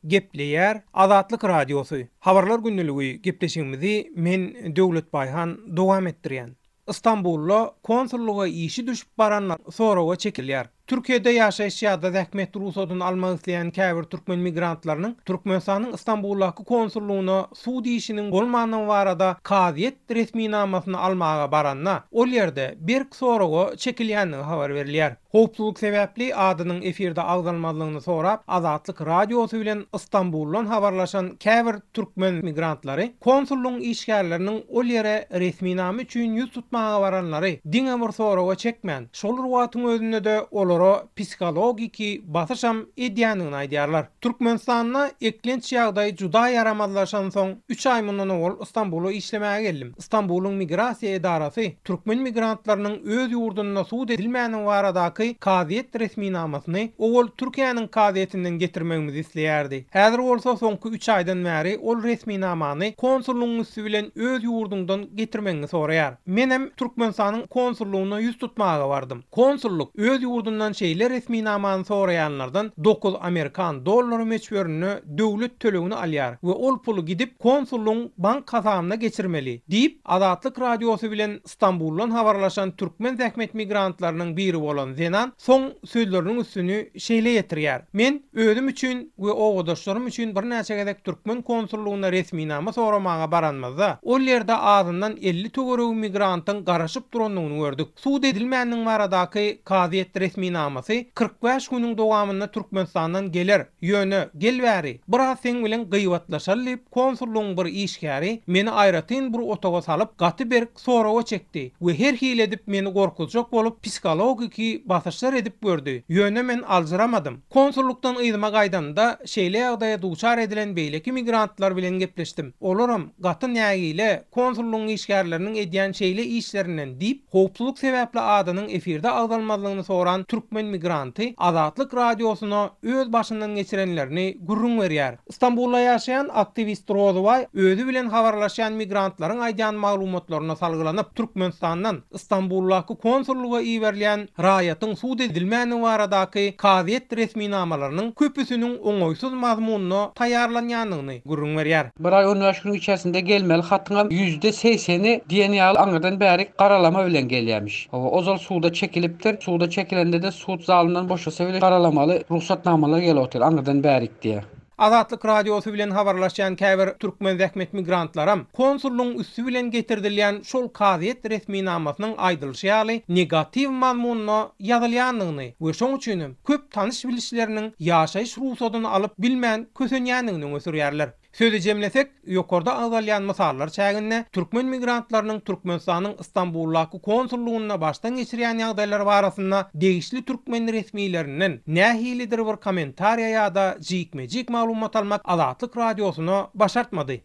Gepleýär Azatlyk Radiosy, Habarlar gündeligi gepleşigimizi men Döwlet Baýhan dowam etdirýän. Stambulda konsullyga işi düşüp baranlar soraga çekilýär. Türkiýede ýaşaýyş ýa-da zähmet rugsadyny almak isleýän käbir türkmen migrantlarynyň Türkmenistanyň Stambuldaky konsullygyna sud işiniň bolmandygy barada kazyýet resminamasyny almaga baranda, ol ýerde berk soraga çekilýändigi habar berilýär. Howpsuzlyk sebäpli adynyň efirde agzalmazlygyny sorap, Azatlyk Radiosy bilen Stambuldan habarlaşan käbir türkmen migrantlary konsullygyň işgärleriniň ol ýere resminama üçin ýüz tutmaga baranlary diňe bir soraga çekmän, şol bir wagtyň özünde-de olara psihologiki basyşam edýändigini aýdýarlar. Türkmenistanda eklenç ýagdaý juda ýaramazlaşansoň, üç aý mundan owal Stambula işlemäge geldim. Stambulyň migrasiýa edarasy türkmen migrantlarynyň öz ýurdunda sud edilmäni baradaky kazyýet resminamasyny owal Türkiýäniň kazyýetinden getirmegimizi isleýärdi. Häzir bolsa soňky üç aýdan bäri ol resminamany konsullygyň üsti bilen öz ýurduňdan getirmegiňi soraýar. Menem Türkmenistanyň konsullygyna ýüz tutmaga bardym. Konsullyk öz ýurdundan şeýle resminamany soraýanlardan dokuz amerikan dollary möçberinde döwlet tölegini alýar we ol puly gidip konsullygyň bank hasabyna geçirmeli, diýip, Azatlyk Radiosy bilen Stambuldan habarlaşan türkmen zähmet migrantlarynyň biri bolan zenan soň sözleriniň üstüni şeýle ýetirýär, Men özüm üçin we obadaşlarym üçin birnäçe gezek türkmen konsullygyna resminama soramaga baranymyzda, ol ýerde azyndan 50 töweregi migrantyň garaşyp durandygyny gördük. Sud edilmändiň baradaky kazyýet resminamasy 45 günüň dowamynda Türkmenistandan geler, ýöne gel bäri, biraz seň bilen gyýbatlaşaly diýip, konsullygyň bir işgäri meni aýratyn bir otaga salyp, gaty berk soraga çekdi we her hili edip meni gorkuzjak bolup psihologiki basyşlar edip gördi, ýöne men aljyramadym. Konsullykdan yzyma gaýdanymda şeýle ýagdaýa duçar edilen beýleki migrantlar bilen gepleşdim. Olaram gaty nägile konsullygyň işgärleriniň edýän şeýle işlerinden diýip, howpsuzlyk sebäpli adynyň efirde agzalmazlygyny soran türkmen migranty Azatlyk Radiosyna öz başyndan geçirenlerini gürrüň berýär. Stambulda ýaşaýan aktiwist Rozybaý özi bilen habarlaşýan migrantlaryň aýdýan maglumatlaryna salgylanyp, Türkmenistandan Stambuldaky konsullyga iberilýän raýatyň sud edilmändigi baradaky kazyýet resminamalarynyň köpüsiniň oňaýsyz mazmunda taýýarlanýandygyny gürrüň berýär. Bir aý on bäş günüň içerisinde gelmeli hatyňam ýüzde segseni diýen ýaly aňyrdan bärik garalama bilen gelýämiş. Hawa, ozal suda çekilipdir. Suda çekilende-de sud zalyndan boşasa bile garalamaly rugsatnamalar gelip otyr aňyrdan bärik diýýär. Azatlyk Radiosy bilen habarlaşýan käbir türkmen zähmet migrantlaram konsullygyň üsti bilen getirdilýän şol kazyýet resminamasynyň aýdylyşy ýaly negatiw mazmunda ýazylýandygyny we şoň üçinem köp tanyş-bilişleriniň ýaşaýyş rugsadyny alyp bilmän kösenýändigini öňe sürýärler. Sözi jemlesek, ýokarda agzalýan mysallar çäginde türkmen migrantlarynyň Türkmenistanyň Stambuldaky konsullygynda başdan geçirýän ýagdaýlary barasynda degişli türkmen resmilerinden nähilidir bir kommentariýa ýa-da jikme-jik maglumat almak Azatlyk Radiosyna başartmady.